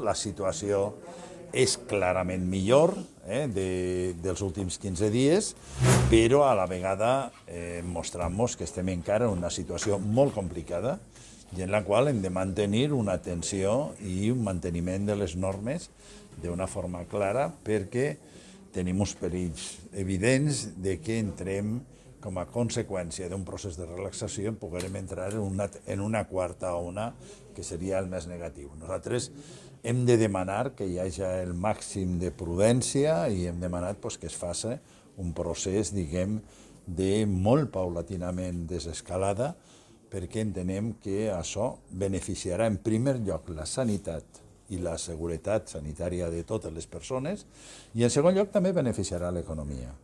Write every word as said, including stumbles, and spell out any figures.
La situació és clarament millor eh, de, dels últims quinze dies, però a la vegada eh, mostramos que estem encara en una situació molt complicada i en la qual hem de mantenir una atenció i un manteniment de les normes d'una forma clara perquè tenim uns perills evidents de que entrem com a conseqüència d'un procés de relaxació poguem entrar en una, en una quarta ona que seria el més negatiu. Nosaltres hem de demanar que hi hagi el màxim de prudència i hem demanat pues, que es faci un procés, diguem, de molt paulatinament desescalada perquè entenem que això beneficiarà en primer lloc la sanitat i la seguretat sanitària de totes les persones i en segon lloc també beneficiarà l'economia.